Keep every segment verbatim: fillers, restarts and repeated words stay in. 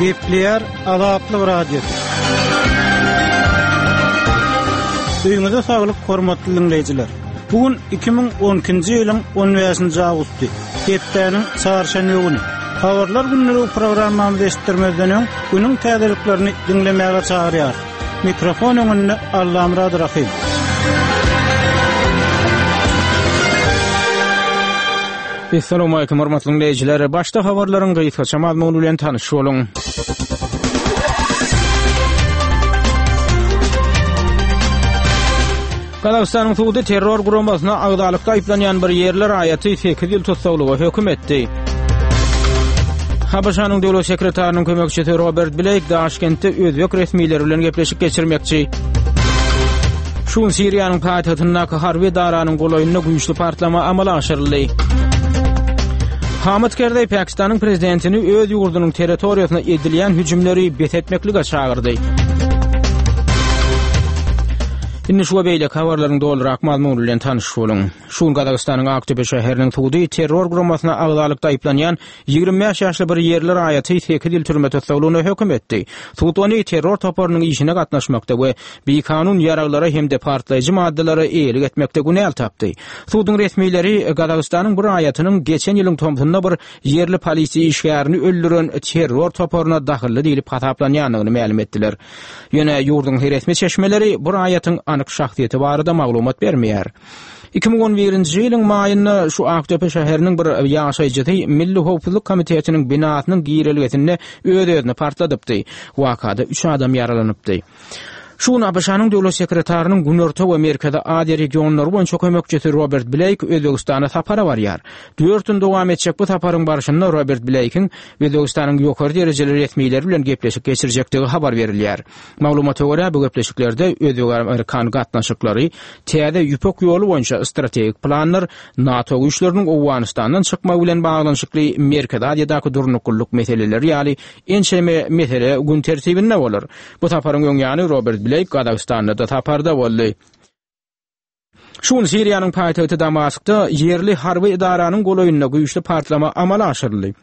Gepleýär Azatlyk Radiosy. Öýüňize saglyk, hormatly diňleýjiler. Bu gün iki müň on ikinji ýylyň on bäşinji awgusty, hepdäniň çarşenbe güni. Habarlar günlügi programmamyzy eşitdirmezden öň, günüň täzeliklerini diňlemäge çagyrýar. Mikrofon öňünde Allamurad Rahim. Assalamu alaykum hormatly dinleýjiler. Başda habarlaryň gysgaça mazmuny bilen tanyş boluň. Gazagystanyň sudy terror guramasyna agzalykda aýyplanýan bir ýerli raýaty sekiz ýyl tussaglyga höküm etdi. H B Ş-nyň döwlet sekretarynyň kömekçisi Robert Blake Daşkentde özbek resmileri bilen gepleşik geçirmekçi. Şu gün Siriýanyň paýtagtyndaky harby edaranyň golaýynda güýçli partlama amala aşyryldy. Hamid Karzai Pakistanyň prezidentini öz ýurdunyň territoriýasyna edilýän hüjümleri bes etmeklige çagyrdy. Indi şu beýleki habarlaryň dolurak mazmuny bilen tanyş boluň. Şu gün Gazagystanyň Aktepe şäheriniň sudy terror guramasyna agzalykda aýyplanýan ýigrimi bäş ýaşly bir ýerli raýaty sekiz ýyl türme tussaglygyna höküm etdi. Sud ony terror toparynyň işine gatnaşmakda we bikanun ýaraglara hem-de partlaýjy maddalara eýelik etmekde günäl tapdy. Suduň resmileri Gazagystanyň bir raýatynyň geçen ýylyň tomsunda bir ýerli polisiýa işgärini öldüren terror toparyna dahylly diýlip hasaplanýandygyny mälim etdiler. Ýöne ýurduň resmi çeşmeleri bu raýatyň anyk şahsyýeti barada maglumat bermeýär. Iki müň on birinji ýylyň maýynda şu Aktepe şäheriniň bir ýaşaýjysy Milli Howpsuzlyk Komitetiniň binasynyň girelgesinde öz-özüni partladypdy. Wakada üç adam ýaralanypdy. Şu gün A B Ş-nyň döwlet sekretarynyň Günorta we Merkezi Aziýa regionlary boýunça kömekçisi Robert Blake Özbegistana sapara barýar. Dört gün dowam etjek bu saparyň barşynda Robert Blake'iň Özbegistanyň ýokary derejeli resmileri bilen gepleşik geçirjekdigi habar berilýär. Maglumata görä bu gepleşiklerde Özbek-Amerikan gatnaşyklary, täze ýüpek ýoly boýunça strategik planlar, NATO güýçleriniň Owganystandan çykmagy bilen baglanyşykly Merkezi Aziýadaky durnuklylyk meseleleri ýaly ençeme mesele gün tertibinde bolar. Bu saparyň öň ýany Robert Blake Gazagystanda da saparda boldy. Şu gün Siriýanyň paýtagty Damaskda ýerli harby edaranyň golaýynda güýçli partlama amala aşyryldy.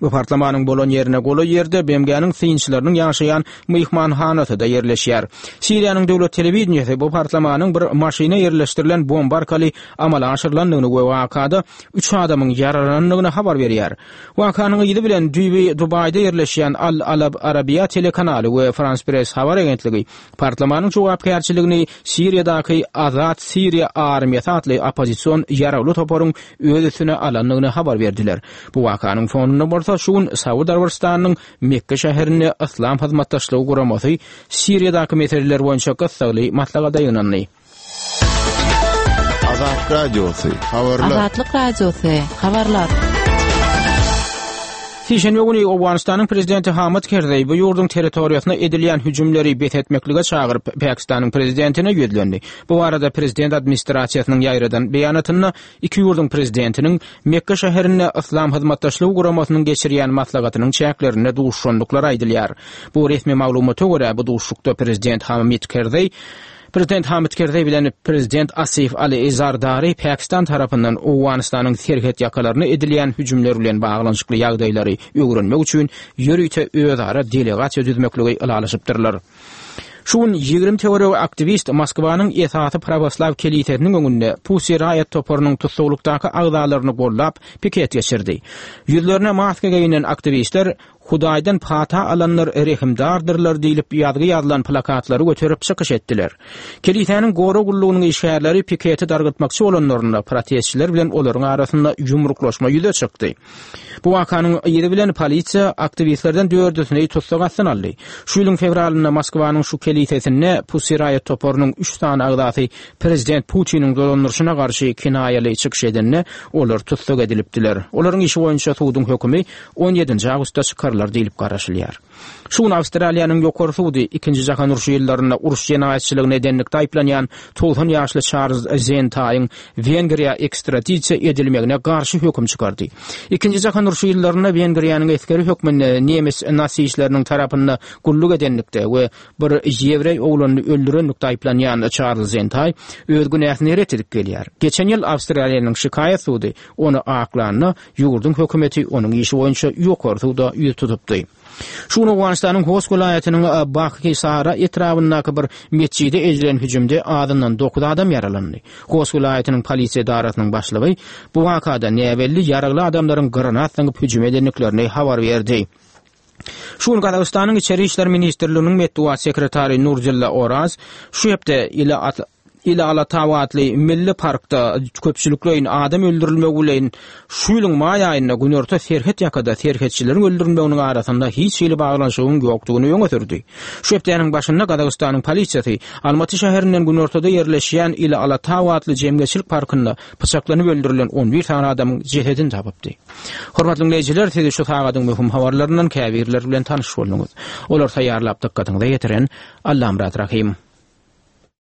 Bu partlamanyň bolan ýerine golaý ýerde B M G-niň synçylarynyň ýaşaýan myhmanhanasy da ýerleşýär. Siriýanyň döwlet telewideniýesi bu partlamanyň bir maşyna ýerleşdirilen bomba arkaly amala aşyrylandygyny we wakada üç adamyň ýaralanandygyny habar berýär. Wakanyň yzy bilen düýbi Dubaýda ýerleşýän Al Alab Arabiya telekanaly we France Press habar agentligi partlamanyň jogapkärçiligini Siriýadaky Azat Siriýa armiýasy atly oppozision ýaragly toparyň öz üstüne alandygyny habar berdiler. Bu wakanyň fonunda bolsa şu gün Saud Arabystanynyň Mekke şäherinde Yslam hyzmatdaşlygy guramasy Siriýadaky meseleler boýunça gyssagly maslahata ýygnandy. Azat Radiosy, habarlar. Azatlyk Radiosy, habarlar. Sişenbe güni Owganystanyň prezidenti Hamid Karzai bu ýurduň territoriýasyna edilýän hüjümleri bes etmeklige çagyryp Pakistanyň prezidentine ýüzlendi. Bu arada prezident administrasiýasynyň ýaýradan beýanatynda iki ýurduň prezidentiniň Mekke şäherinde Yslam hyzmatdaşlygy guramasynyň geçirýän maslahatynyň çäklerinde duşuşandyklary aýdylýar. Bu resmi maglumata görä bu duşuşykda prezident Hamid Karzai Prezident Hamid Karzai bilen prezident Asif Ali Zardari Pakistan tarapyndan Owganystanyň serhet ýakalaryna edilýän hüjümler bilen baglanyşykly ýagdaýlary öwrenmek üçin ýörite özara delegasiýa düzmekligi ylalaşypdyrlar. Şu gün ýigrimi töweregi aktiwist Moskwanyň esasy pravoslav kelisesiniň öňünde Pussy Riot toparynyň tussaglykdaky agzalaryny gollap piket geçirdi. Ýüzlerine maska geýinen aktiwistler Hudaýdan pata alanlar rehimdardyrlar diýlip ýazgy ýazylan plakatlary göterip çykyş etdiler. Kelisäniň gora gullugynyň işgärleri piketi dargatmakçy bolanlarynda protestçiler bilen olaryň arasynda ýumruklaşma ýüze çykdy. Bu wakanyň yzy bilen polisiýa aktiwistlerden dördüsini tussag astyna aldy. Şu ýylyň fewralynda Moskwanyň şu kelisesinde Pussy Riot toparynyň üç sany agzasy prezident Putiniň dolandyryşyna garşy kinaýaly çykyş edende olar tussag edilipdiler. Olaryň işi boýunça suduň hökümi on ýedinji awgustda çykarylar diýlip garaşylýar. Şu gün Awstraliýanyň ýokary sudy ikinji jahan urşy ýyllarynda uruş jenaýatçylygyny edenlikde aýyplanýan togsan ýaşly Çarlz Zentaýyň Wengriýa ekstradisiýa edilmegine garşy höküm çykardy. Ikinji jahan urşy ýyllarynda Wengriýanyň esgeri hökmünde nemes nasistleriniň tarapynda gulluk edenlikde we bir ýewreý oglanyny öldürenlikde aýyplanýan Çarlz Zentaý öz günäsini ret edip gelýär. Geçen ýyl Awstraliýanyň şikaýat sudy ony aklanda ýurduň hökümeti onuň işi boýunça ýokary suda ýüz tutdy. tutupdy. Şu gün Owganystanyň Host welaýatynyň Bakhisara etrabyndaky bir metjide edilen hüjümde azyndan dokuz adam ýaralandy. Host welaýatynyň polisiýa edarasynyň başlygy bu wakada näbelli ýaragly adamlaryň granat zyňyp hüjüm edendiklerini habar berdi. Şu gün Gazagystanyň Içeri İşler Ministrliginiň metbugat sekretary Nurzilla Oraz şu hepde ile Ile Alatau atly milli parkda köpçülikleýin adam öldürilmegi bilen şu ýylyň maý aýynda günorta serhet ýakada serhetçileriň öldürilmeginiň arasynda hiç hili baglanyşygyň ýokdugyny öňe sürdi. Şu hepdäniň başynda Gazagystanyň polisiýasy Almaty şäherinden günortada ýerleşýän Ile Alatau atly jemgyýetçilik parkynda pyçaklanyp öldürilen on bir sany adamyň jesedini tapypdy. Hormatly dinleýjiler, sizi şu sagadyň möhüm habarlaryndan käbirleri bilen tanyş bolduňyz. Olar taýýarlap dykgatyňyza ýetiren Allamyrat Rahim.